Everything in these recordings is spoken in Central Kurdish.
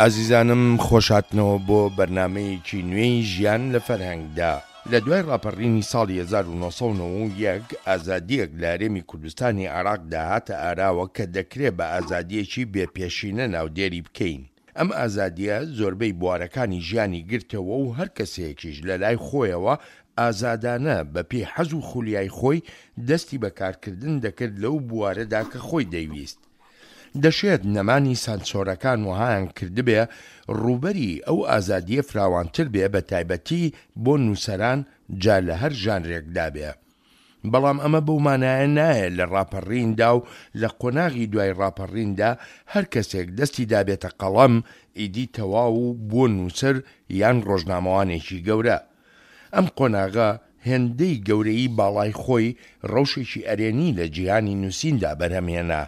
ئازیزانم خۆشهاتنەوە بۆ بەرنامەیەکی نوێی ژیان لە فەرهەنگدا. لە دوای ڕاپەڕینی ساڵی 1991 ئازادییەک لە هەرێمی کوردستانی عێراقدا هاتە ئاراوە کە دەکرێ بە ئازادییەکی بێ پێشینە ناودێری بکەین. ئەم ئازادییە زۆربەی بوارەکانی ژیانی گرتەوە و هەر کەسێکیش لە لای خۆیەوە ئازادانە بە پێی حەز و خولیای خۆی دەستی بە کارکردن دەکرد لەو بوارەدا کە خۆی دەیویست. دەشێت نەمانی سانسۆرەکان وەهایان کردبێ ڕووبەری ئەو ئازادییە فراوانتر بێ بە تایبەتی بۆ نووسەران جا لە هەر ژانرێکدا بێ. بەڵام ئەمە بەو مانایە نایە لە ڕاپەڕیندا و لە قۆناغی دوای ڕاپەڕیندا هەر کەسێک دەستی دابێتە قەڵەم ئیدی تەواو و بووە نووسەر یان ڕۆژنامەوانێکی گەورە. ئەم قۆناغە هێندەی گەورەیی باڵای خۆی ڕەوشێکی ئەرێنی لە جیهانی نووسیندا بەرهەم هێنا،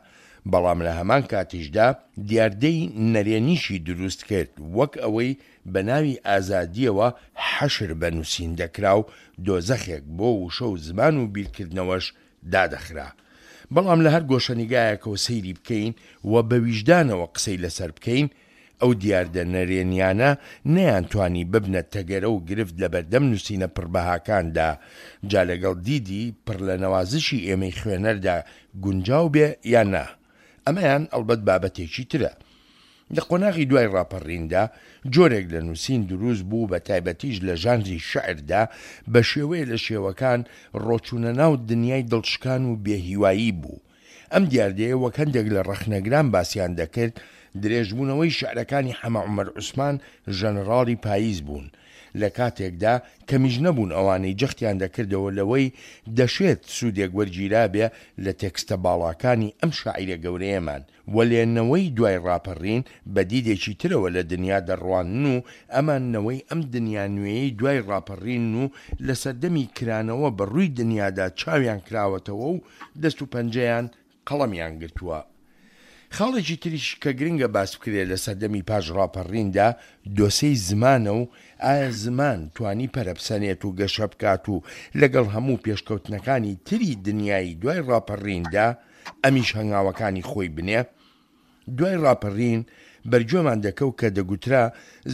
بەڵام لە هەمان کاتیشدا دیاردەی نەرێنیشی دروست کرد وەک ئەوەی بە ناوی ئازادییەوە حەشر بە نووسین دەکرا و دۆزەخێک بۆ وشە و زمان و بیرکردنەوەش دادەخرا. بەڵام لە هەر گۆشەنیگایەکەوە سەیری بکەین و بە ویژدانەوە قسەی لەسەر بکەین، ئەو دیاردە نەرێنیانە نەیانتوانی ببنە تەگەرە و گرفت لەبەردەم نووسینە پڕبەهاکاندا، جا لەگەڵ دیدی پڕ لە نەوازشی ئێمەی خوێنەردا گونجاو بێ یان نا. ئەمەیان ئەڵبەت بابەتێکی ترە. لە قۆناغی دوای ڕاپەڕیندا جۆرێک لە نووسین دروست بوو بە تایبەتیش لە ژانری شیعردا بە شێوەیە لە شێوەکان ڕۆچوونە ناو دنیای دڵشکان و بێهیوایی بوو. ئەم دیاردەیە وەک هەندێک لە ڕەخنەگران باسیان دەکرد درێژبوونەوەی شیعرەکانی حەمە عومەر عوسمان ژەنەڕاڵی پاییز بوون لە کاتێکدا کەمیش نەبوون ئەوانەی جەختیان دەکردەوە لەوەی دەشێت سوودێک وەرگیرابێ لە تێکستە باڵاکانی ئەم شاعیرە گەورەیەمان، وەلێ نەوەی دوای ڕاپەڕین بە دیدێکی ترەوە لە دنیا دەڕوانن و ئەمان نەوەی ئەم دنیا نوێیەی دوای ڕاپەڕینن و لە سەردەمی کرانەوە بە ڕووی دنیادا چاویان کراوەتەوە و دەست و پەنجەیان قەڵەمیان گرتووە. خاڵێکی تریش کە گرنگە باس بکرێ لە سەردەمی پاش ڕاپەڕیندا دۆسێی زمانە و ئایا زمان توانی پەرەبسەنێت و گەشە بکات و لەگەڵ هەموو پێشکەوتنەکانی تری دنیای دوای ڕاپەڕیندا ئەمیش هەنگاوەکانی خۆی بنێ؟ دوای ڕاپەڕین بەرگوێمان دەکەوت کە دەگوترا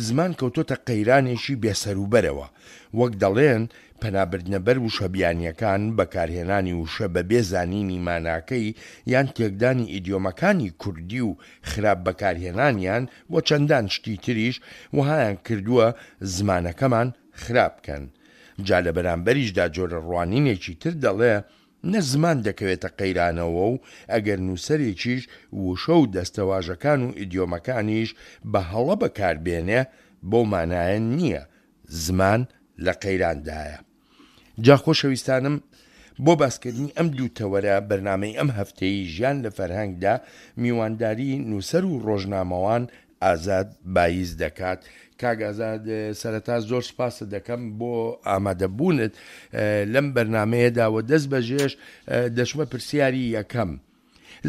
زمان کەوتۆتە قەیرانێکی بێسەروبەرەوە، وەک دەڵێن پەنابردنە بەر وشە بیانییەکان، بەکارهێنانی وشە بەبێ زانینی ماناکەی یان تێکدانی ئیدیۆمەکانی کوردی و خراپ بەکارهێنانیان و چەندان شتی تریش وەهایان کردووە زمانەکەمان خراپ بکەن. جا لە بەرامبەریشدا جۆرە ڕوانینێکی تر دەڵێ نە زمان دەکەوێتە قەیرانەوە و ئەگەر نووسەرێکیش وشە و دەستەواژەکان و ئیدیۆمەکانیش بە هەڵە بەکار بێنێ بەو مانایە نییە زمان لە قەیراندایە. جا خۆشەویستانم بۆ باسکردنی ئەم دوو تەوەرە بەرنامەی ئەم هەفتەیەی ژیان لە فەرهەنگدا میوانداری نووسەر و ڕۆژنامەوان ئازاد بایز دەکات. کاک ئازاد سەرەتا زۆر سپاست دەکەم بۆ ئامادەبوونت لەم بەرنامەیەدا و دەست بەجێش دەچمە پرسیاری یەکەم.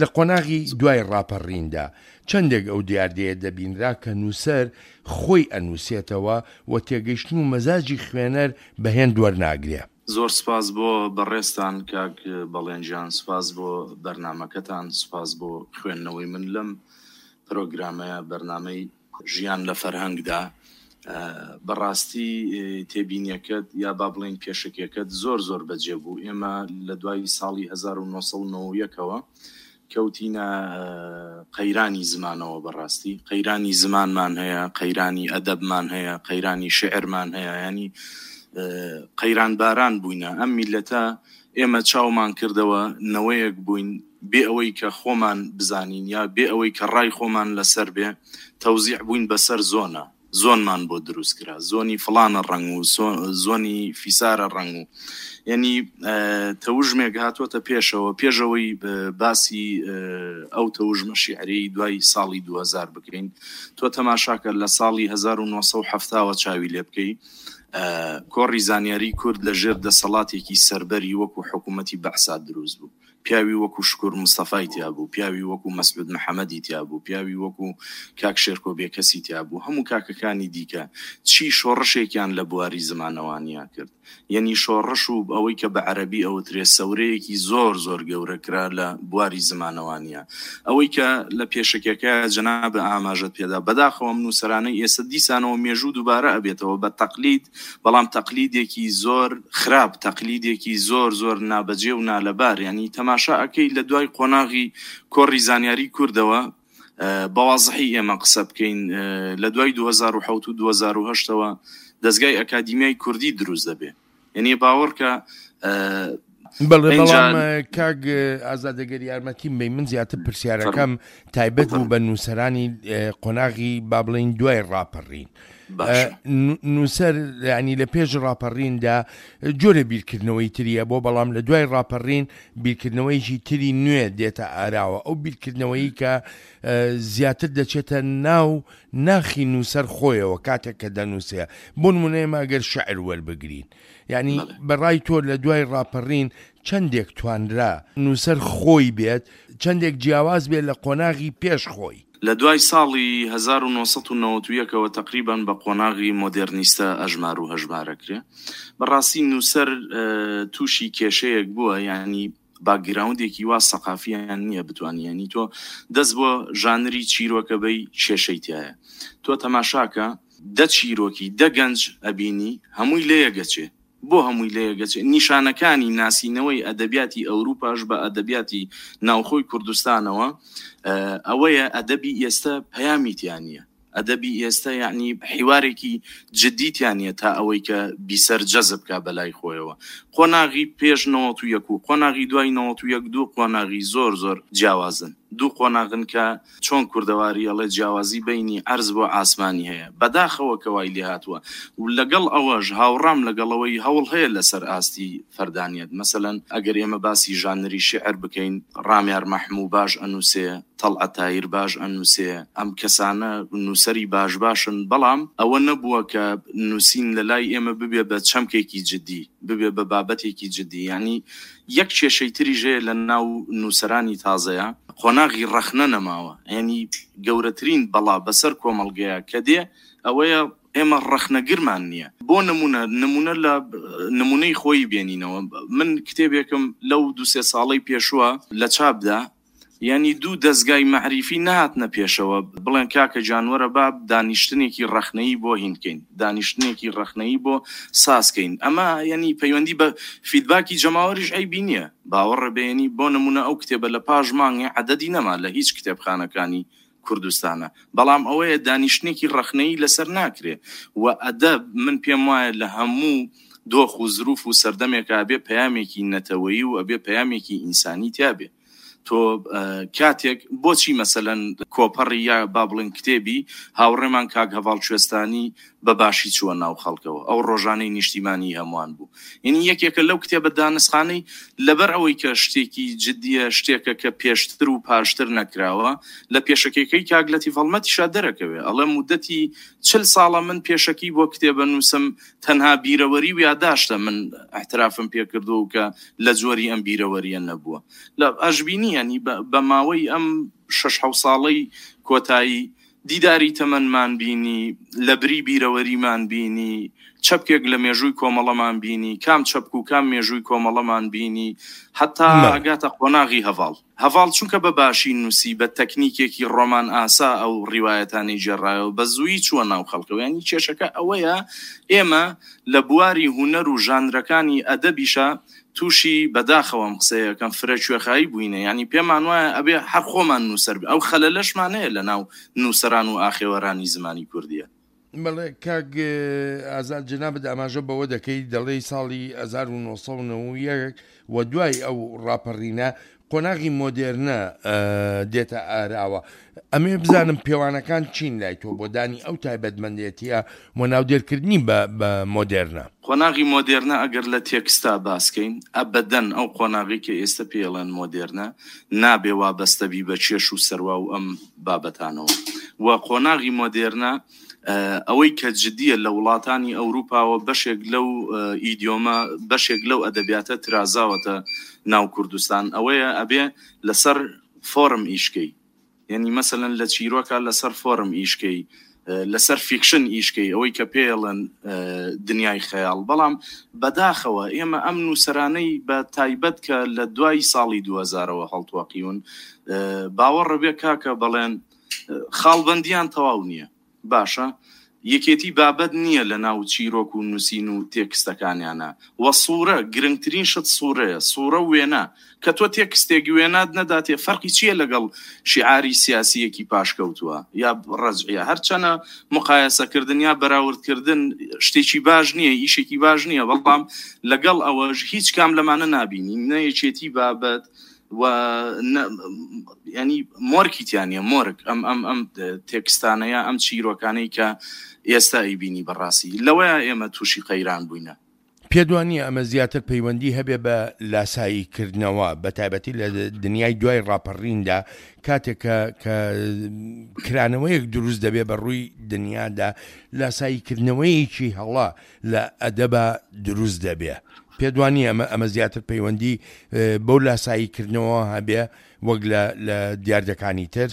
لە قۆناغی دوای ڕاپەڕیندا چەندێک ئەو دیاردەیە دەبینرا کە نووسەر خۆی ئەنووسێتەوە و تێگەیشتن و مەزاجی خوێنەر بە هێند وەرناگرێ؟ زۆر سپاس بۆ بەڕێزتان کاک بەڵێن گیان، سپاس بۆ بەرنامەکەتان، سپاس بۆ خوێندنەوەی من لەم پرۆگرامەیە، بەرنامەی ژیان لە فەرهەنگدا. بەڕاستی تێبینیەکەت یا با بڵێین پێشەکیەکەت زۆر زۆر بەجێ بوو. ئێمە لە دوای ساڵی 1991 ەوە کەوتینە قەیرانی زمانەوە. بەڕاستی قەیرانی زمانمان هەیە، قەیرانی ئەدەبمان هەیە، قەیرانی شعرمان هەیە، ینی قەیران باران بووینە ئەم میلەتە. ئێمە چاومان کردەوە نەوەیەک بووین بێ ئەوەی کە خۆمان بزانین یا بێ ئەوەی کە ڕای خۆمان لەسەر بێ تەوزیع بووین بەسەر زۆنە زۆنمان بۆ دروست کرا زۆنی فڵانە ڕەنگ و زۆنی فیسارە ڕەنگ و یعنی تەوژمێک هاتووەتە پێشەوە پێشەوەی باسی ئەو تەوژمە شیعری دوای ساڵی 2000 بکەین تۆ تەماشاکە لە ساڵی 1970ەوە چاوی لێ بکەی کۆڕی زانیاری کورد لە ژێر دەسەڵاتێکی سەربەری وەکو حکوومەتی بەعسا دروست بوو. پیاوی وەکو شکور مستەفای تیا بوو، پیاوی وەکو مەسعود محەمەدی تیا بوو، پیاوی وەکو کاک شێرکۆ بێکەسی تیا بوو، هەموو کاکەکانی دیکە چی شۆڕشێکیان لە بواری زمانەوانیا کرد. یەنی شۆڕش و ئەوەی کە بە عەرەبی ئەوترێ سەورەیەکی زۆر زۆر گەورە کرا لە بواری زمانەوانیا. ئەوەی کە لە پێشەکیەکەیا جەنابت ئاماژەت پێدا، بەداخەوە ئەم نووسەرانەی ئێستا دیسانەوە مێژوو دووبارە ئەبێتەوە بە تەقلید، بەڵام تەقلیدێکی زۆر خراپ، تەقلیدێکی زۆر زۆر نابەجێ و نالەبار، یانی تەماشا ئەکەی لە دوای قۆناغی کۆڕی زانیاری کوردەوە بە وازحی ئێمە قسە بکەین لە دوای 2007 و 2008 ەوە دەزگای ئەکادیمیای کوردی دروست دەبێ یعنی باوەڕکە بەڵێ بەڵام کاک ئازاد ئەگەر یارمەتیم بەی من زیاتر پرسیارەکەم تایبەت بوو بە نووسەرانی قۆناغی با بڵین دوای ڕاپەڕین نووسەر ینی لە پێش ڕاپەڕیندا جۆرە بیرکردنەوەی تریە بۆ بەڵام لە دوای ڕاپەڕین بیرکردنەوەیکی تری نوێ دێتە ئاراوە ئەو بیرکردنەوەی کە زیاتر دەچێتە ناو ناخی نووسەر خۆیەوە کاتێک کە دەنووسێ بۆ نمونە ئێمە ئەگەر شعر وەربگرین یعنی بەڕای تۆ لە دوای ڕاپەڕین چەندێک توانرا نووسەر خۆی بێت چەندێک جیاواز بێت لە قۆناغی پێش خۆی؟ لە دوای ساڵی 1991 ەوە تەقریبەن بە قۆناغی مۆدێرنیستە ئەژمار و هەژمارەکرێ. بەڕاستی نووسەر تووشی کێشەیەک بووە یانی باکگراوندێکی وا سەقافیان نییە بتوانی یانی تۆ دەست بۆ ژانری چیرۆکە بەی کێشەی تایە تۆ تەماشاکە دە چیرۆکی دە گەنج ئەبینی هەمووی لەیەگەچێ بۆ هەمووی لەیەگەچێ نیشانەکانی ناسینەوەی ئەدەبیاتی ئەوروپاش بە ئەدەبیاتی ناوخۆی کوردستانەوە ئەوەیە ئەدەبی ئێستا پەیامی تیا نییە ئەدەبی ئێستا یەعنی حیوارێکی جدی تیا نیە تا ئەوەی کە بیسەر جەزب کا بەلای خۆیەوە. قۆناغی پێش 91 و قۆناغی دوای 91 دوو قۆناغی زۆر زۆر جیاوازن. دوو قۆناغن کە چۆن کوردەواری ئەڵێ جیاوازی بەینی عەرز بۆ عاسمانی هەیە. بەداخەوە کە وای لێهاتووە و لەگەڵ ئەوەش هاوڕام لەگەڵ ئەوەی هەوڵ هەیە لەسەر ئاستی فەردانیەت. مەسەلەن ئەگەر ئێمە باسی ژانری شیعر بکەین ڕامیار مەحموو باش ئەنووسێ، تەڵعەت تاهیر باش ئەنووسێ، ئەم کەسانە نووسەری باش باشن، بەڵام ئەوە نەبووە کە نووسین لە لای ئێمە ببێ بە چەمکێکی جدی، ببێ بە بابەتێکی جدی. یانی یەک کێشەی تریش هەیە لە ناو نووسەرانی تازەیا، قۆناغی ڕەخنە نەماوە. یانی گەورەترین بەڵا بەسەر کۆمەڵگەیا کە دێ ئەوەیە ئێمە ڕەخنەگرمان نییە. بۆ نموونە، نموونە لە نموونەی خۆیی بێنینەوە، من کتێبێکم لەو دوو سێ ساڵەی پێشووە لە چاپ دا، یانی دوو دەزگای مەعریفی نەهاتنە پێشەوە بڵێن کاکە گیان وەرە با دانیشتنێکی ڕەخنەیی بۆ هین کەین، دانیشتنێکی ڕەخنەیی بۆ ساز کەین. ئەمە یانی پەیوەندی بە فیدباکی جەماوەریش عەیبی نییە. باوەڕە بێ یانی بۆ نموونە ئەو کتێبە لە پاش مانگێ عەدەدی نەما لە هیچ کتێبخانەکانی کوردستانە. بەڵام ئەوەیە دانیشتنێکی ڕەخنەیی لەسەر ناکرێ و ئەدەب من پێم وایە لە هەموو دۆخ و زروف و سەردەمێکا ئەبێ پەیامێکی نەتەوەیی و ئەبێ پەیامێکی ئینسانی تیا بێ. تۆ کاتێک بۆچی مەسەلەن کۆپەڕی یا با بڵێن کتێبی هاوڕێمان کاک هەڤاڵ کوێستانی بە باشی چووە ناو خەڵکەوە ئەو ڕۆژانەی نیشتیمانی هەمووان بوو یعنی یەکێکە لەو کتێبە دانسقانەی لەبەر ئەوەی کە شتێکی جدیە شتێکە کە پێشتر و پاشتر نەکراوە لە پێشەکیەکەی کاک لەتیف هەڵمەتیشا دەرەکەوێ ئەڵێ مودەتی چل ساڵە من پێشەکی بۆ کتێبە نووسم تەنها بیرەوەری و یاداشتە من احترافم پێکردووە و کە لە جۆری ئەم بیرەوەریە نەبووە لە ئەشبینی ینی بە ماوەی ئەم شەش حەو ساڵەی کۆتایی دیداری تەمەنمان بینی، لەبری بیرەوەریمان بینی، چەپکێک لە مێژووی کۆمەڵەمان بینی، کام چەپک و کام مێژووی کۆمەڵەمان بینی، هەتا ئەگاتە قۆناغی هەڤاڵ. هەڤاڵ چونکە بە باشی نووسی، بە تەکنیکێکی ڕۆمان ئاسا ئەو ڕیوایەتانەی گێڕایەوە، بە زوویی چووە ناو خەڵکەوە. یانی کێشەکە ئەوەیە ئێمە لە بواری هونەر و ژانرەکانی ئەدەبیشا تووشی بەداخەوە ئەم قسەیە ئەکەم فرە کوێخایی بووینە یانی پێمان وایە ئەبێ هەر خۆمان نووسەر بین ئەو خەلەلەشمان هەیە لە ناو نووسەران و ئاخێوەرانی زمانی کوردیە. بەڵێ کاک ئازاد جەنابت ئاماژە بەوە دەکەی دەڵێی ساڵی 1991 و دوای ئەو ڕاپەڕینە قۆناغی مۆدێرنە دێتە ئاراوە ئەمێ بزانم پێوانەکان چین لای تۆ بۆ دانی ئەو تایبەتمەندێتیە و ناودێرکردنی بە بە مۆدێرنە؟ قۆناغی مۆدێرنە ئەگەر لە تێکستا باسکەین ئەبەدەن ئەو قۆناغەی کە ئێستە پێی ئەڵێن مۆدێرنە نابێ وابەستە بی بە کێش و سەروا و ئەم بابەتانەوە. و قۆناغی مۆدێرنە ئەوەی کە جدیە لە وڵاتانی ئەوروپاوە بەشێک لەو ئیدیۆمە بەشێک لەو ئەدەبیاتە ترازاوەتە ناو کوردستان ئەوەیە ئەبێ لەسەر فۆرم ئیشکەی یعنی مەسەلەن لە چیرۆکە لەسەر فۆرم ئیشکەی لەسەر فیکشن ئیشکەی ئەوەی کە پێڵەن دنیای خەیاڵ بەڵام بەداخەوە ئێمە ئەم نووسەرانەی بە تایبەت کە لە دوای ساڵی 2000ەوە هەڵتۆقیون باوەڕە بێ کاکە بەڵێن خاڵبەندیان تەواو نییە باشە یەکێتی بابەت نییە لە ناو چیرۆک و نووسین و تێکستەکانیانا وە سوورە گرنگترین شت سوورەیە سوورە و وێنە کە تۆ تێکستێک وێنات نەداتێ فەرقی چییە لەگەڵ شیعاری سیاسییەکی پاشکەوتووە یا ڕەجعیە هەرچەنە مقایەسەکردن یا بەراوردکردن شتێکی باش نییە ئیشێکی باش نییە بەڵام لەگەڵ ئەوەش هیچ کام لەمانە نابینین نە یەکێتی بابەت و ینی مۆرکی تیا نیە مۆرک ئەم ئەم ئەم تێکستانەیە ئەم چیرۆکانەی کە ئێستا ئەیبینی بەڕاستی لەوەیە ئێمە تووشی قەیران بووینە. پێت وا نییە ئەمە زیاتر پەیوەندی هەبێ بە لاسایی کردنەوە بە تایبەتی لە دنیای دوای ڕاپەڕیندا کاتێک کە کە کرانەوەیەک دروست دەبێ بە ڕووی دنیادا لاسایی کردنەوەیەکی هەڵە لە ئەدەبا دروست دەبێ پێت وا نییە ئەمە ئەمە زیاتر پەیوەندی بەو لاسایی کردنەوە هەبێ وەک لە لە دیاردەکانی تر؟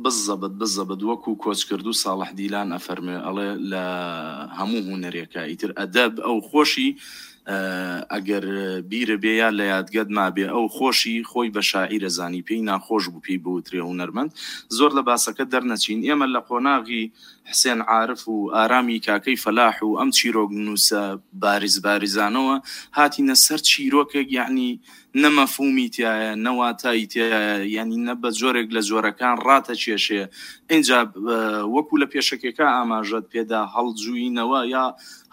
بزەبت بزەبت وەکو کۆچکردوو ساڵح دیلان ئەفەرموێ ئەڵێ لە هەموو هونەرێکا ئیتر ئەدەب ئەو خۆشی ئەگەر بیرە بێ یا لە یادگەت مابێ ئەو خۆشی خۆی بە شاعیر ئەزانی پێی ناخۆش بوو پێی بوترێ هونەرمەند زۆر لە باسەکە دەرنەچین ئێمە لە قۆناغی حسێن عارف و ئارامی کاکەی فەلاح و ئەم چیرۆک نووسە بارز بارزانەوە هاتینە سەر چیرۆکێک یەعنی نە مەفهومی تیایە نە واتای تیایە یەعنی نە بە جۆرێک لە جۆرەکان ڕاتەکێشێ ئینجا وەکو لە پێشەکیەکە ئاماژەت پێدا هەڵجووینەوە یا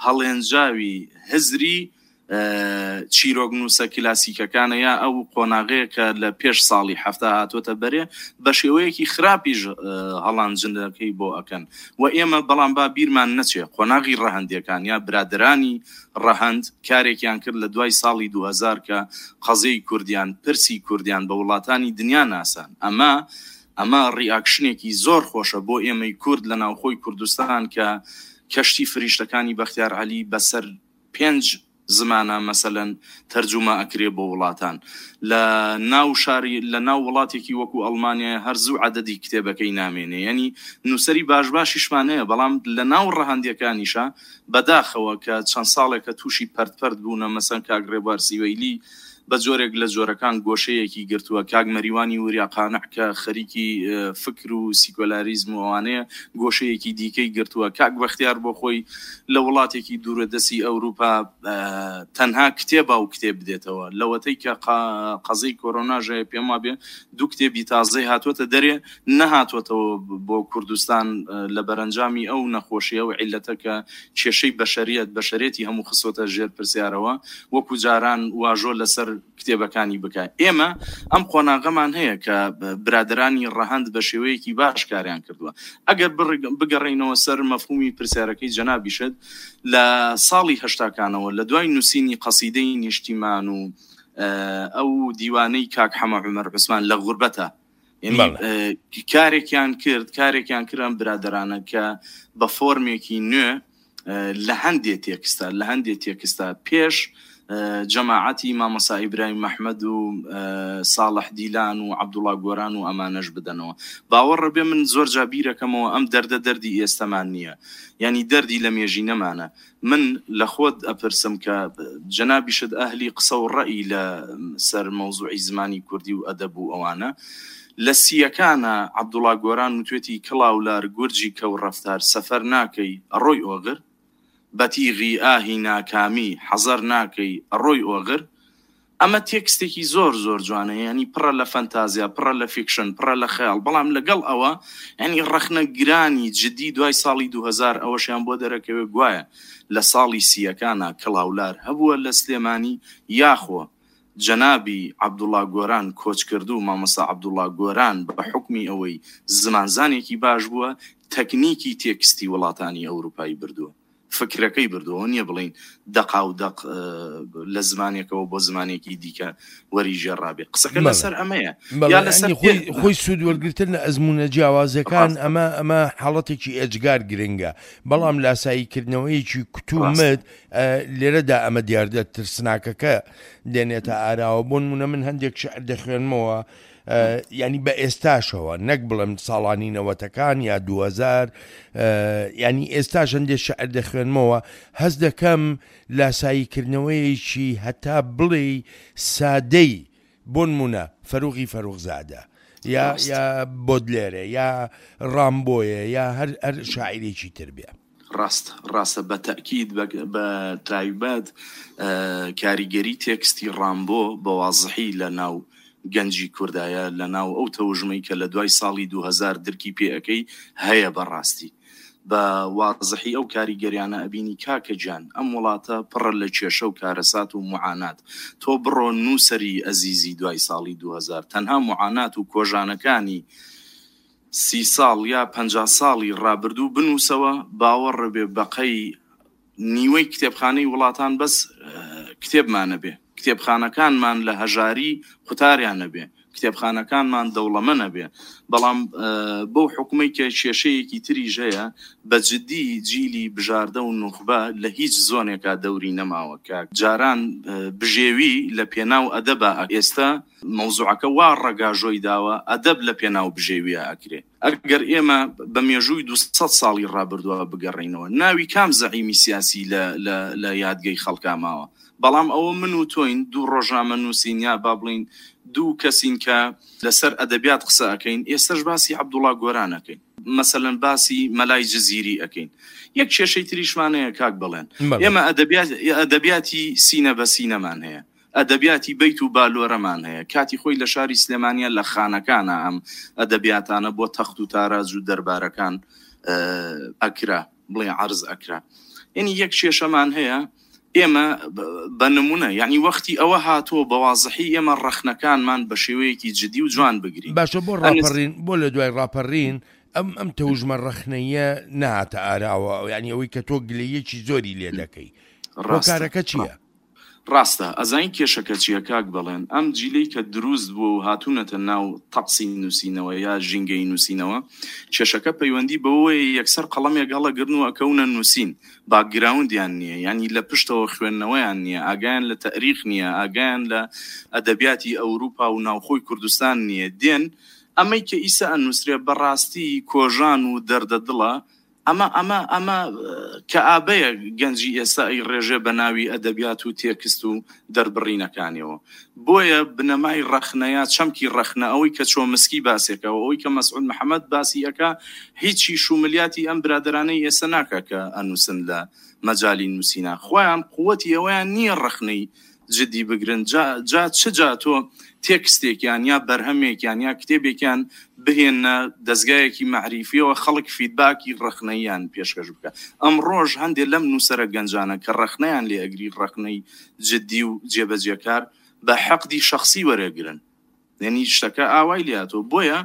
هەڵێنجاوی هزری چیرۆکنووسە کلاسیکەکانە یا ئەو قۆناغەیە کە لە پێش ساڵی 70 هاتۆتە بەرێ بە شێوەیەکی خراپیش هەڵانجنەکەی بۆ ئەکەن و ئێمە بەڵام با بیرمان نەچێ قۆناغی ڕەهەندەکان یا برادرانی ڕەهەند کارێکیان کرد لە دوای ساڵی 2000 کە قەزیەی کوردیان پرسی کوردیان بە وڵاتانی دنیا ناسان ئەمە ئەمە ڕیاکشنێکی زۆر خۆشە بۆ ئێمەی کورد لە ناوخۆی کوردستان کە کەشتی فریشتەکانی بەختیار عەلی بەسەر پێنج زمانە مەسەلەن تەرجومە ئەکرێ بۆ وڵاتان لە ناو شاری لە ناو وڵاتێکی وەکو ئەڵمانیای هەر زوو عەدەدی کتێبەکەی نامێنێ یەنی نووسەری باش باشیشمان هەیە بەڵام لە ناو ڕەهەندیەکانیشا بەداخەوە کە چەند ساڵێکە تووشی پەرت پەرت بوونە مەسەن کاک ڕێبوار سیوەیلی بە جۆرێک لە جۆرەکان گۆشەیەکی گرتووە، کاک مەریوانی وریا قانع کە خەریکی فکر و سیکۆلاریزم و ئەوانەیە گۆشەیەکی دیکەی گرتووە، کاک بەختیار بۆ خۆی لە وڵاتێکی دوورەدەستی ئەوروپا تەنها کتێبا و کتێب بدێتەوە، لەوەتەی کە قەزیەی کۆرۆناش هەیە پێم وابێ دوو کتێبی تازەی هاتووەتە دەرێ نەهاتووەتەوە بۆ کوردستان لە بەرەنجامی ئەو نەخۆشیە و عیللەتە کە کێشەی بەشەریەت بەشەرێتی هەموو خستۆتە ژێر پرسیارەوە وەکو جاران واژۆ لەسەر کتێبەکانی بکا ئێمە ئەم قۆناغەمان هەیە کە برادەرانی ڕەهەند بە شێوەیەکی باش کاریان کردووە ئەگەر بگەڕێینەوە سەر مەفهومی پرسیارەکەی جەنابیشت لە ساڵی هەشتاکانەوە لە دوای نووسینی قەسیدەی نیشتیمان و ئەو دیوانەی کاک حەمە عومەر عوسمان لە غوربەتە یعنی کارێکیان کرد کارێکیان کرد ئەم برادەرانە کە بە فۆرمێکی نوێ لە هەندێ تێکستا لە هەندێ تێکستا پێش جەماعەتی مامۆسا ئیبراهیم مەحمەد و ساڵح دیلان و عەبدوڵا گۆران و ئەمانەش بدەنەوە باوەڕە بێ من زۆر جا بیرەکەمەوە ئەم دەردە دەردی ئێستەمان نییە یعنی دەردی لە مێژینەمانە من لە خۆت ئەپرسم کە جەنابیشت ئەهلی قسە و ڕەئی لە سەر مەوزوعی زمانی کوردی و ئەدەب و ئەوانە. لە سییەکانا عەبدوڵا گۆران وتوێتی کڵاولار گورجی کەو ڕەفتار سەفەر ناکەی ئەڕۆی ئۆغر؟ بە تیغی ئاهی ناکامی حەزەر ناکەی ئەڕۆی ئۆغر؟ ئەمە تێکستێکی زۆر زۆر جوانە یانی پڕە لە فەنتازیا پڕە لە فیکشن پڕە لە خەیاڵ بەڵام لەگەڵ ئەوە یانی ڕەخنە گرانی جدی دوای ساڵی 2000 ئەوەشیان بۆ دەرەکەوێ گوایە لە ساڵی سییەکانا کڵاولار هەبووە لە سلێمانی یاخۆ جەنابی عەبدوڵا گۆران کۆچکردوو مامۆستا عەبدوڵا گۆران بە حوکمی ئەوەی زمانزانێکی باش بووە تەکنیکی تێکستی وڵاتانی ئەوروپای بردووە. فکرەکەی بردووە، ئەوە نییە بڵێین دەقاو دەق لە زمانێکەوە بۆ زمانێکی دیکە وەریگێڕابێ. قسەکە لەسەر ئەمەیە یا لەسەر خۆی سوود وەرگرتن لە ئەزموونە جیاوازەکان ئەمە ئەمە حاڵەتێکی ئێجگار گرنگە، بەڵام لاساییکردنەوەیەکی کتومت لێرەدا ئەمە دیاردە ترسناکەکە دێنێتە ئاراوە. بۆ نموونە من هەندێک شعر دەخوێنمەوە یانی بە ئێستاشەوە نەک بڵێم ساڵانی نەوەتەکان یا 2000 ینی ئێستاش هەندێک شعر دەخوێنمەوە هەست دەکەم لاساییکردنەوەیەکی هەتا بڵێی سادەی بۆنمونە فەروغی فەروخزادە یا یا بۆدلێرە یا ڕامبۆیە یا هەر هەر شاعیرێکی تر بێ. ڕاستە ڕاستە بە تەئکید بە تایبەت کاریگەری تێکستی ڕامبۆ بە وازحی لە ناو گەنجی کوردایە لە ناو ئەو تەوژمەی کە لە دوای ساڵی 2000 درکی پێ ئەکەی هەیە بە ڕاستی بە وازحی ئەو کاریگەریانە ئەبینی کاکە گیان ئەم وڵاتە پڕە لە کێشە و کارەسات و موعانات تۆ بڕۆ نووسەری ئەزیزی دوای ساڵی 2000 تەنها موعانات و کۆژانەکانی سی ساڵ یا 50 ساڵی ڕابردوو بنووسەوە باوەڕە بێ بەقەی نیوەی کتێبخانەی وڵاتان بەس کتێبمان نەبێ کتێبخانەکانمان لە هەژاری قوتاریان نەبێ کتێبخانەکانمان دەوڵەمە نەبێ بەڵام بەو حکومەی کە کێشەیەکی تریش هەیە بە جدی جیلی بژاردە و نوخبە لە هیچ زۆنێکا دەوری نەماوە کە جاران بژێوی لە پێناو ئەدەبا ئێستا مەوزوعەکە وا ڕەگاژۆی داوە ئەدەب لە پێناو بژێویا ئەکرێ. ئەگەر ئێمە بە مێژووی 200 ساڵی ڕابردووە بگەڕێینەوە ناوی کام زەعیمی سیاسی لە لە لە یادگەی خەڵکا ماوە؟ بەڵام ئەوە من و تۆین دوو ڕۆژنامەنووسین یا با بڵێین دوو کەسین کە لەسەر ئەدەبیات قسە ئەکەین ئێستەش باسی عەبدوڵا گۆران ئەکەین مەسەلەن باسی مەلای جزیری ئەکەین یەک کێشەی تریشمان هەیە کاک بەڵێن ئێمە ئەدەبیات ئەدەبیاتی سینە بە سینەمان هەیە ئەدەبیاتی بەیت و بالۆرەمان هەیە. کاتی خۆی لە شاری سلێمانییە لە خانەکانا ئەم ئەدەبیاتانە بۆ تەخت و تاراج و دەربارەکان ئەکرا، بڵێ عەرز ئەکرا. یەنی یەک کێشەمان هەیە ئێمە بە نمونە یەعنی وەختی ئەوە هاتووە بە وازحی ئێمە ڕەخنەکانمان بە شێوەیەکی جدی و جوان بگرین. باشە بۆ ڕاپەڕین، بۆ لە دوای ڕاپەڕین ئەم ئەم تەوژمە ڕەخنەییە نەهاتە ئاراوە، یەعنی ئەوەی کە تۆ گلەییەکی زۆری لێ دەکەی، هۆکارەکە چییە؟ ڕاستە ئەزانی کێشەکە چیە کاک بەڵێن ئەم جیلەی کە دروست بووە و هاتوونەتە ناو تەقسی نووسینەوە یا ژینگەی نووسینەوە کێشەکە پەیوەندی بەوەیە یەکسەر قەڵەمێک هەڵەگرن و ئەکەونە نووسین باکگراوندیان نییە یانی لە پشتەوە خوێندنەوەیان نییە ئاگایان لە تەئریخ نییە ئاگایان لە ئەدەبیاتی ئەوروپا و ناوخۆی کوردستان نییە دێن ئەمەی کە ئیسە ئەنووسرێ بەڕاستی کۆژان و دەردە دڵە ئەمە ئەمە ئەمە کەئابەیە گەنجی ئێستا ئەیڕێژێ بە ناوی ئەدەبیات و تێکست و دەربڕینەکانیەوە. بۆیە بنەمای ڕەخنە یا چەمکی ڕەخنە ئەوەی کە چۆمسکی باسێکا و ئەوەی کە مەسعود محەمەد باسی ئەکا هیچی شوملیاتی ئەم برادەرانەی ئێستا ناکا کە ئەنووسن لە مەجالی نووسینا خۆیان قوەتی ئەوەیان نییە ڕەخنەی جدی بگرن جا جا چ جا تۆ تێکستێکیان یا بەرهەمێکیان یا کتێبێکیان بهێنە دەزگایەکی مەعریفیەوە خەڵک فیدباکی ڕەخنەییان پێشکەش بکە ئەمڕۆش هەندێ لەم نووسەرە گەنجانە کە ڕەخنەیان لێ ئەگری ڕەخنەی جدی و جێبەجێکار بە حەقدی شەخسی وەرەگرن. یەنی شتەکە ئاوای لێ هاتووە بۆیە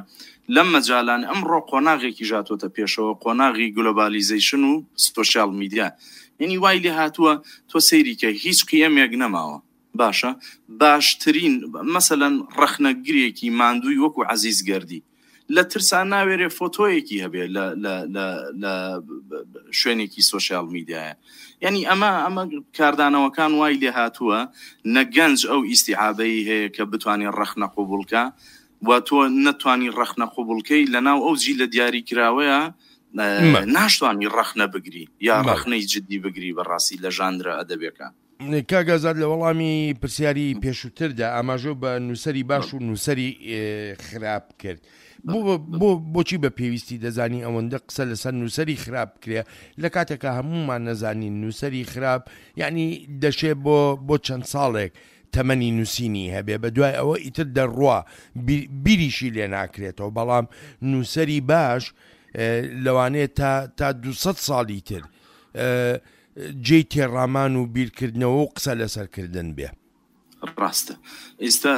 لەم مەجالان ئەمڕۆ قۆناغێکیش هاتووەتە پێشەوە قۆناغی گلۆبالیزەیشن و سۆشیال میدیا یەنی وای لێ هاتووە تۆ سەیری کە هیچ قیەمێک نەماوە باشە باشترین مەسەلەن ڕەخنەگرێکی ماندووی وەکو عەزیز گەردی لە ترسا ناوێرێ فۆتۆیەکی هەبێ لە لە لە لە شوێنێکی سۆشیال میدیایە یعنی ئەمە ئەمە کاردانەوەکان وای لێ هاتووە نە گەنج ئەو ئیسیعابەی هەیە کە بتوانێت ڕەخنە قوبولکە و تۆ نەتوانی ڕەخنە قوبولکەی لە ناو ئەو جی لە دیاری کراوەیە ناشتوانی ڕەخنە بگری یا ڕەخنەی جدی بگری بەڕاستی لە ژانرە ئەدەبێکە کاک ئازاد لە وەڵامی پرسیاری پێشووتردا ئاماژە بە نووسەری باش و نووسەری خراپ کرد بۆ بۆچی بە پێویستی دەزانی ئەوەندە قسە لەسەر نووسەری خراپ بکرێ لە کاتێکا هەمومان نەزانین نووسەری خراپ یعنی دەشێ بۆ بۆ چەند ساڵێک تەمەنی نووسینی هەبێ بە دوای ئەوە ئیتر دەڕوا بیریشی لێ ناکرێتەوە بەڵام نووسەری باش لەوانەیە تا تا 200 ساڵی تر جێی تێڕامان و بیرکردنەوە و قسە لەسەر کردن بێ. ڕاستە. ئیستا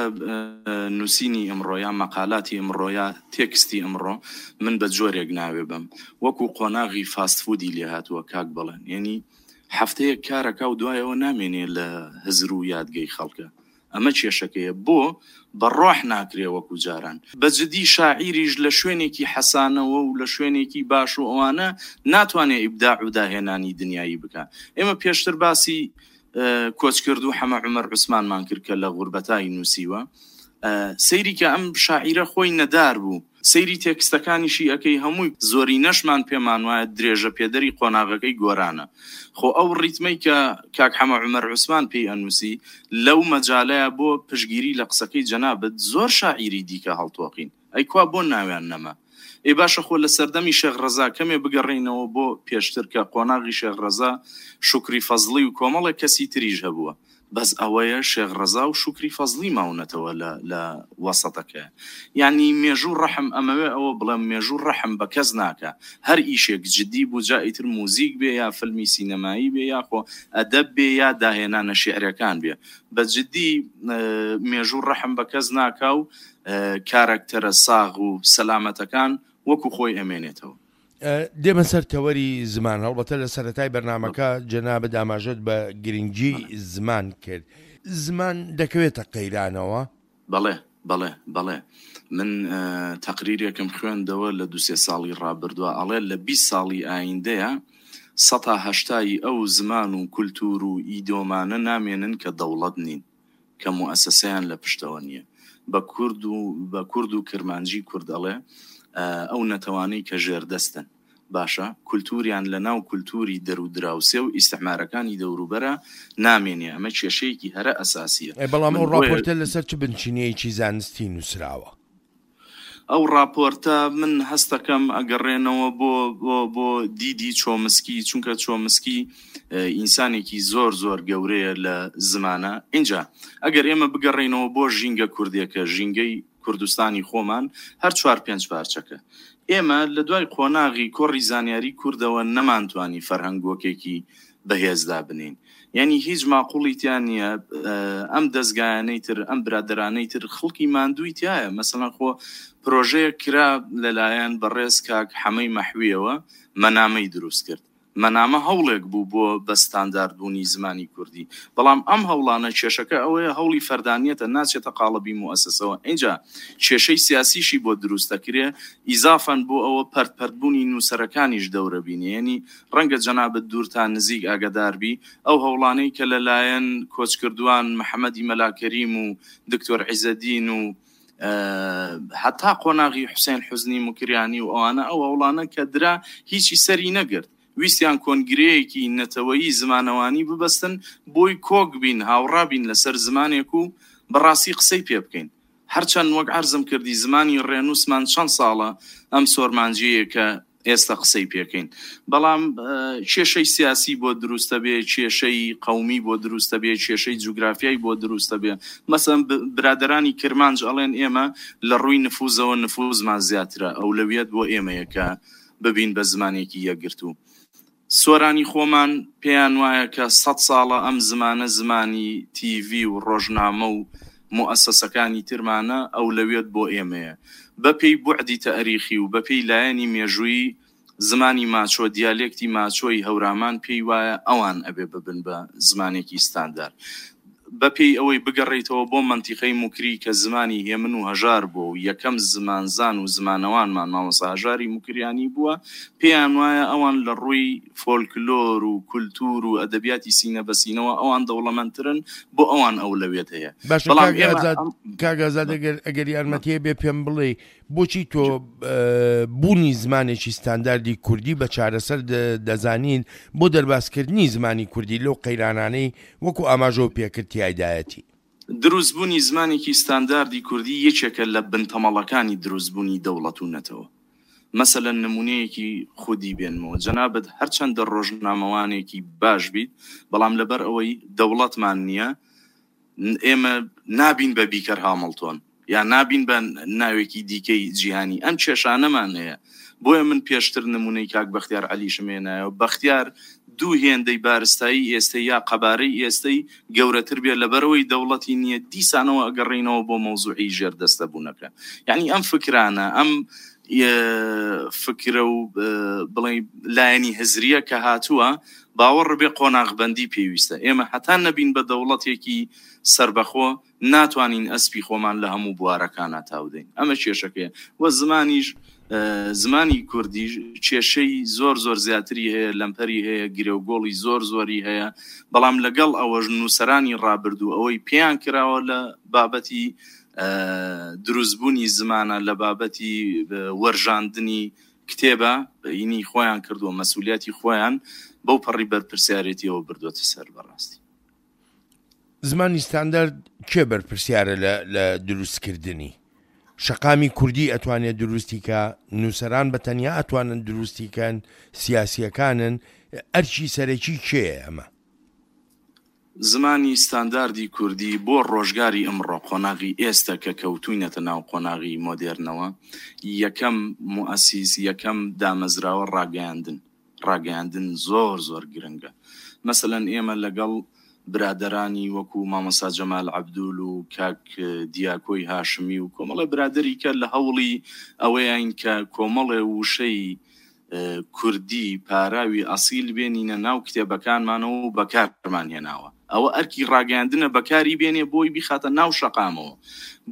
نووسینی ئمڕۆ یا مەقالاتی ئمڕۆ یا تێکستی ئمڕۆ من بە جۆرێک ناوێ بەم وەکوو قۆناغی فاست فوودی لێ هاتووە کاک بەڵێن یەنی. هەفتەیەک کارەکا و دوایەوە نامێنێ لە هزر و یادگەی خەڵکە. ئەمە کێشەکەیە. بۆ بە ڕۆح ناکرێ وەکو جاران. بە جدی شاعیریش لە شوێنێکی حەسانەوە و لە شوێنێکی باش و ئەوانە ناتوانێ ئیبداع و داهێنانی دنیایی بکا. ئێمە پێشتر باسی کۆچکردوو حەمە عومەر عوسمانمان کرد کە لە غوربەتای نووسیوە. سەیری کە ئەم شاعیرە خۆی نەدار بوو. سەیری تێکستەکانیشی ئەکەی هەمووی زۆرینەشمان پێمان وایە درێژە پێدەری قۆناغەکەی گۆرانە. خۆ ئەو ڕیتمەی کە کاک حەمە عومەر عوسمان پێی ئەنووسی لەو مەجالەیا بۆ پشتگیری لە قسەکەی جەنابت زۆر شاعیری دیکە هەڵتۆقین. ئەی کوا بۆ ناویان نەما؟ ئێ باشە خۆ لە سەردەمی شێخ ڕەزا کەمێ بگەڕێینەوە بۆ پێشتر کە قۆناغی شێخ ڕەزا شوکری فەزڵی و کۆمەڵێک کەسی تریش هەبووە. بەس ئەوەیە شێخ ڕەزا و شوکری فەزڵی ماونەتەوە لە لە وەسەتەکە یانی مێژوو ڕەحم ئەمەوێ ئەوە بڵێم مێژوو ڕەحم بە کەس ناکا هەر ئیشێک جدی بوو جا ئیتر موزیک بێ یا فلمی سینەمایی بێ یاخۆ ئەدەب بێ یا داهێنانە شیعرەکان بێ بە جدی مێژوو ڕەحم بە کەس ناکا و کارەکتەرە ساغ و سەلامەتەکان وەکو خۆی ئەمێنێتەوە. دێمە سەر تەوەری زمان، هەڵبەتە لە سەرەتای بەرنامەکە جەنابت ئاماژەت بە گرنگی زمان کرد، زمان دەکەوێتە قەیرانەوە؟ بەڵێ، بەڵێ، بەڵێ. من تەقریرێکم خوێندەوە لە دوو سێ ساڵی ڕابردووە ئەڵێ لە 20 ساڵی ئایندەیە سەتا هەشتای ئەو زمان و کولتوور و ئیدۆمانە نامێنن کە دەوڵەت نین. کە موئەسەسەیان لە پشتەوە نییە. بە کورد و بە کورد و کرمانجی کورد ئەڵێ ئەو نەتەوانەی کە ژێردەستن باشە کولتووریان لە ناو کولتووری دەر و دراوسێ و ئیستعمارەکانی دەوروبەرا نامێنێ ئەمە کێشەیەکی هەرە ئەساسییە. ئەی بەڵام ئەو ڕاپۆرتە لەسەر چ بنچینەیەکی زانستی نووسراوە؟ ئەو ڕاپۆرتە من هەستەکەم ئەگەڕێنەوە بۆ بۆ بۆ دیدی چۆمسکی چونکە چۆمسکی ئینسانێکی زۆر زۆر گەورەیە لە زمانە ئینجا ئەگەر ئێمە بگەڕێینەوە بۆ ژینگە کوردێکە ژینگەی کوردستانی خۆمان هەر چوار پێنج پارچەکە ئێمە لە دوای قۆناغی کۆڕی زانیاری کوردەوە نەمانتوانی فەرهەنگۆکێکی بەهێز دابنێین یانی هیچ ماقوڵی تیا نییە ئەم دەزگایانەی تر ئەم برادەرانەی تر خڵکی ماندووی تایە مەسەلەن خۆ پرۆژەیەک کرا لەلایەن بەڕێز کاک حەمەی مەحویەوە مەنامەی دروست کرد مەنامە هەوڵێک بوو بۆ بە ستاندارد بوونی زمانی کوردی بەڵام ئەم هەوڵانە کێشەکە ئەوەیە هەوڵی فەردانیەتە ناچێتە قاڵبی موئەسەسەوە ئینجا کێشەی سیاسیشی بۆ دروست دەکرێ ئیزافەن بۆ ئەوە پەرت پەرت بوونی نووسەرەکانیش دەورە بینێ یەنی ڕەنگە جەنابت دوور تا نزیک ئاگادار بی، ئەو هەوڵانەی کە لە لایەن کۆچکردووان محەمەدی مەلا کەریم و دکتۆر عیزەدین و هەتا قۆناغی حوسێن حوزنی موکریانی و ئەوانە ئەو هەوڵانە کە درا هیچی سەری نەگرت. ویستیان کۆنگرەیەکی نەتەوەیی زمانەوانی ببەستن بۆی کۆک بین، هاوڕا بین لەسەر زمانێک و بە ڕاستی قسەی پێ بکەین. هەرچەند وەک عەرزم کردی زمانی ڕێنووسمان چەند ساڵە ئەم سۆرمانجییەیە کە ئێستا قسەی پێکەین بەڵام کێشەی سیاسی بۆ دروستە بێ کێشەی قەومی بۆ دروستە بێ کێشەی جوگرافیای بۆ دروستە بێ مەسەن برادرانی کرمانج ئەڵێن ئێمە لە ڕووی نفوزەوە نفوزمان زیاترە ئەولەویەت بۆ ئێمەیە کە ببین بە زمانێکی یەکگرتوو سۆرانی خۆمان پێیان وایە کە سەد ساڵە ئەم زمانە زمانی تیڤی و ڕۆژنامە و موئەسەسەکانی ترمانە، ئەولەویەت بۆ ئێمەیە. بە پێی بوعدی تەئریخی و بە پێی لایەنی مێژوویی زمانی ماچۆ، دیالێکتی ماچۆی هەورامان پێی وایە ئەوان ئەبێ ببن بە زمانێکی ستاندار. بە پێی ئەوەی بگەڕێیتەوە بۆ مەنتیقەی موکری کە زمانی هێمن و هەژار بووە و یەکەم زمانزان و زمانەوانمان مامۆستا هەژاری موکریانی بووە، پێیان وایە ئەوان لە ڕووی فۆلکلۆر و کولتوور و ئەدەبیاتی سینە بە سینەوە ئەوان دەوڵەمەندترن، بۆ ئەوان ئەولەویەت هەیە. باشە بەڵام کاک ئێمە ئازاد، ئەم کاک ئازاد ئەگەر ئەگەر یارمەتییە بێ پێم بڵێی بۆچی تۆ بوونی زمانێکی ستانداردی کوردی بە چارەسەر دەزانیت بۆ دەربازکردنی زمانی کوردی لەو قەیرانانەی وەکو ئاماژەو پێکرد تیایدایەتی؟ دروستبوونی زمانێکی ستانداردی کوردی یەکێکە لە بنتەمەڵەکانی دروستبوونی دەوڵەت و نەتەوە. مەسەلەن نمونەیەکی خودی بێنمەوە، جەنابت هەرچەندە ڕۆژنامەوانێکی باش بیت، بەڵام لەبەر ئەوەی دەوڵەتمان نییە، ئێمە نابین بە بیکەر هامڵتۆن یا نابین بە ناوێکی دیکەی جیهانی ئەم کێشانەمان هەیە بۆیە من پێشتر نمونەی کاک بەختیار عەلیشم هێنایەوە بەختیار دوو هێندەی بارستایی ئێستەی یا قەبارەی ئێستەی گەورەتر بێ لەبەرئەوەی دەوڵەتی نییە دیسانەوە ئەگەڕێینەوە بۆ مەوزوعی ژێردەستە بوونەکە یانی ئەم فکرانە ئەم فکرە و بڵێ لایەنی هزریە کە هاتووە باوەڕ بێ قۆناغبەندی پێویستە ئێمە هەتا نەبین بە دەوڵەتێکی سەربەخۆ ناتوانین ئەسپی خۆمان لە هەموو بوارەکانا تاودەین ئەمە کێشەکەیە وە زمانیش زمانی کوردیش کێشەی زۆر زۆر زیاتری هەیە لەمپەری هەیە گرێوگۆڵی زۆر زۆری هەیە بەڵام لەگەڵ ئەوەش نووسەرانی ڕابردوو ئەوەی پێیان کراوە لە بابەتی دروستبوونی زمانە لە بابەتی وەرژاندنی کتێبە ینی خۆیان کردووە مەسولیاتی خۆیان بەو پەڕی بەرپرسیارێتیەوە بردووەتە سەر بەڕاستی. زمانی ستاندارد کێ بەرپرسیارە لە لە دروستکردنی؟ شەقامی کوردی ئەتوانێت دروستی کا؟ نووسەران بە تەنیا ئەتوانن دروستی کەن؟ سیاسییەکانن؟ ئەرکی سەرەکی کێیە ئەمە؟ زمانی ستانداردی کوردی بۆ ڕۆژگاری ئمڕۆ، قۆناغی ئێستە کە کەوتووینەتە ناو قۆناغی مۆدێرنەوە، یەکەم موئەسیس، یەکەم دامەزراوە ڕاگەیاندن، ڕاگەیاندن زۆر زۆر گرنگە مەسەلەن ئێمە لەگەڵ برادەرانی وەکو مامۆستا جەمال عەبدول و کاک دیاکۆی هاشمی و کۆمەڵێ برادەری کە لە هەوڵی ئەوەیاین کە کۆمەڵێ وشەی کوردی پاراوی ئەسیل بێنینە ناو کتێبەکانمانەوە و بەکارمان هێناوە ئەوە ئەرکی ڕاگەیاندنە بەکاری بێنێ بۆی بیخاتە ناو شەقامەوە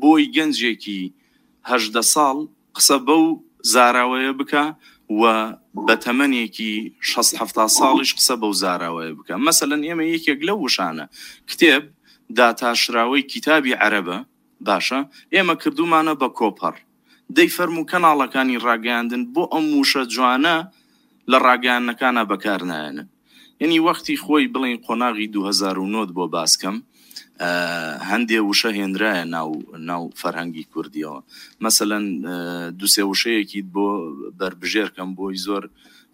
بۆی گەنجێکی 18 ساڵ قسە بەو زاراوەیە بکە و بە تەمەنێکی شەست حەفتا ساڵیش قسە بەو زاراوەیە بکە. مەسەلەن ئێمە یەکێک لەو وشانە، کتێب، داتاشراوەی کیتابی عەرەبە، باشە ئێمە کردوومانە بە کۆپەڕ. دەی فەرموو کەناڵەکانی ڕاگەیاندن بۆ ئەم وشە جوانە لە ڕاگەیاندنەکانا بەکار نایەنن؟ یەنی وەختی خۆی بڵێین قۆناغی 2009 بۆ باس کەم هەندێ وشە هێنرایە ناو ناو فەرهەنگی کوردیەوە مەسەلەن دوسێ وشەیەکیت بۆ بەربژێر کەم بۆی زۆر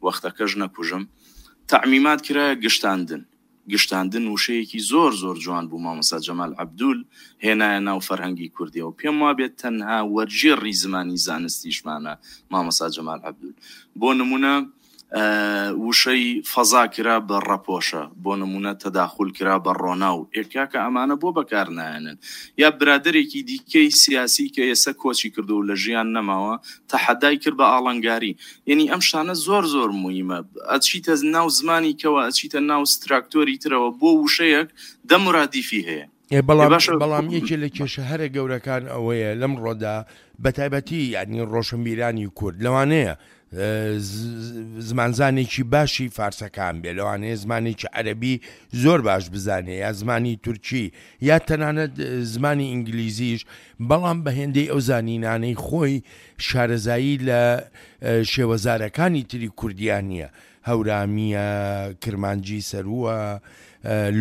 وەختەکەش نەکوژم تەعمیمات کرایە گشتاندن گشتاندن وشەیەکی زۆر زۆر جوان بوو مامۆستا جەمال عەبدول هێنایە ناو فەرهەنگی کوردیەوە پێم وابێت تەنها وەرگێڕی زمانی زانستیشمانە مامۆستا جەمال عەبدول بۆ نمونە وشەی فەزا کرا بە ڕەپۆشە، بۆ نموونە تەداخول کرا بە ڕۆناو، ئێ کاکە ئەمانە بۆ بەکار نایەنن؟ یا برادەرێکی دیکەی سیاسی کە ئێستا کۆچی کردووە و لە ژیان نەماوە تەحەدای کرد بە ئاڵنگاری. یەنی ئەم شتانە زۆر زۆر موهیمە. ئەچیتە ناو زمانی کەوە، ئەچیتە ناو ستراکتۆری ترەوە بۆ وشەیەک دە مورادیفی هەیە. ئێ بەڵام بەڵام یەکێ لە کێشە هەرە گەورەکان ئەوەیە لەمڕۆدا بەتایبەتی یعنی ڕۆشنبیرانی کورد لەوانەیە زمانزانێکی باشی فارسەکان بێ لەوانەیە زمانێکی عەربی زۆر باش بزانێ یا زمانی تورکی یا تەنانەت زمانی ئینگلیزیش بەڵام بە هێندەی ئەو زانینانەی خۆی شارەزایی لە شێوەزارەکانی تری کوردیان نییە هەورامییە، کرمانجی سەرووە،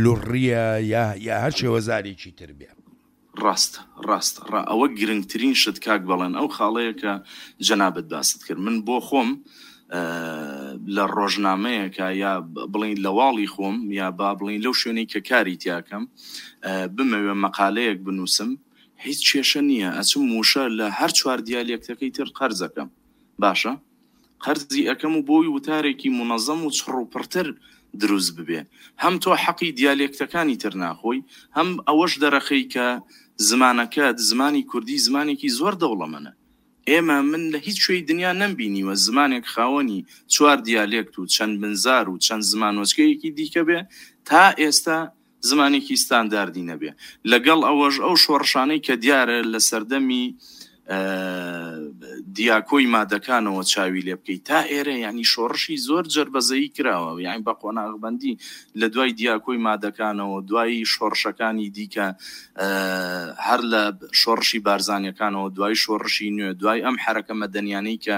لوڕییە یا یا هەر شێوەزارێکی تر بێ. ڕاستە ڕاستە ڕا ئەوە گرنگترین شت کاک بەڵێن ئەو خاڵەیە کە جەنابت باست کرد من بۆ خۆم لە ڕۆژنامەیەکە یا بڵین لە واڵی خۆم یا با بڵین لەو شوێنەی کە کاری تیاکەم بمەوێ مەقالەیەک بنووسم هیچ کێشە نییە ئەچم وشە لە هەر چوار دیالێکتەکەی تر قەرزەکەم باشە قەرزی ئەکەم و بۆی وتارێکی مونەزەم و چڕ و پڕتر دروست ببێ. هەم تۆ حەقی دیالێکتەکانی تر ناخۆی، هەم ئەوەش دەرەخەی کە زمانەکەت، زمانی کوردی زمانێکی زۆر دەوڵەمەنە. ئێمە، من لە هیچ کوێی دنیا نەمبینیوە زمانێک خاوەنی چوار دیالێکت و چەند بنزار و چەند زمانۆچکەیەکی دیکە بێ، تا ئێستا زمانێکی ستانداردی نەبێ. لەگەڵ ئەوەش ئەو شۆڕشانەی کە دیارە لە سەردەمی دیاکۆی مادەکانەوە چاوی لێ بکەی تا ئێرە یانی شۆڕشی زۆر جەربەزەیی کراوە یانی بە قۆناغبەندی لە دوای دیاکۆی مادەکانەوە دوای شۆڕشەکانی دیکە هەر لە شۆڕشی بارزانیەکانەوە دوای شۆڕشی نوێ دوای ئەم حەرەکە مەدەنیانەی کە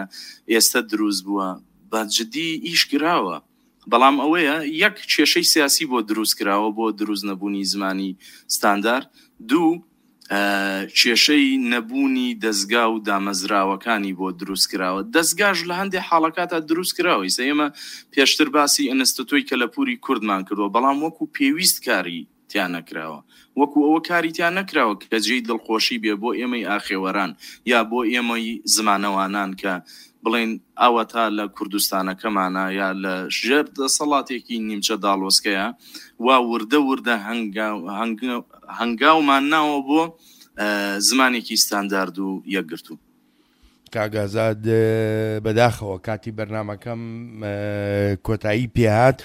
ئێستە دروست بووە بە جدی ئیش کراوە. بەڵام ئەوەیە یەک کێشەی سیاسی بۆ دروست کراوە بۆ دروست نەبوونی زمانی ستاندار، دوو کێشەی نەبوونی دەزگا و دامەزراوەکانی بۆ دروست کراوە، دەزگاش لە هەندێ حاڵەکاتا دروست کراوە، ئیستا ئێمە پێشتر باسی ئەنستتۆی کەلەپووری کوردمان کردووە، بەڵام وەکو پێویست کاری. تیا نەکراوە. وەکو ئەوە کاری تیا نەکراوە کە جێی دڵخۆشی بێ بۆ ئێمەی ئاخێوەران یا بۆ ئێمەی زمانەوانان کە بڵێین ئەوەتا لە کوردستانەکەمانا یا لە ژێر دەسەڵاتێکی نیمچە داڵۆسکەیا وا وردە وردە هەنگاومان ناوە بۆ زمانێکی ستاندارد و یەکگرتوو. کاک ئازاد بەداخەوە کاتی بەرنامەکەم کۆتایی پێهات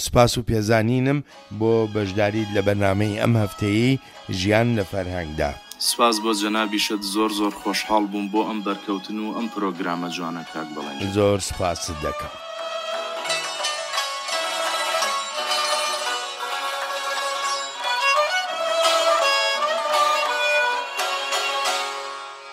سوپاس و پێزانینم بۆ بەشداریت لە بەرنامەی ئەم هەفتەیەی ژیان لە فەرهەنگدا. سپاس بۆ جەنابیشت زۆر زۆر خۆشحاڵ بووم بۆ ئەم بەرکەوتن و ئەم پرۆگرامە جوانە کاک بەڵێن جان. زۆر سوپاست دەکەم.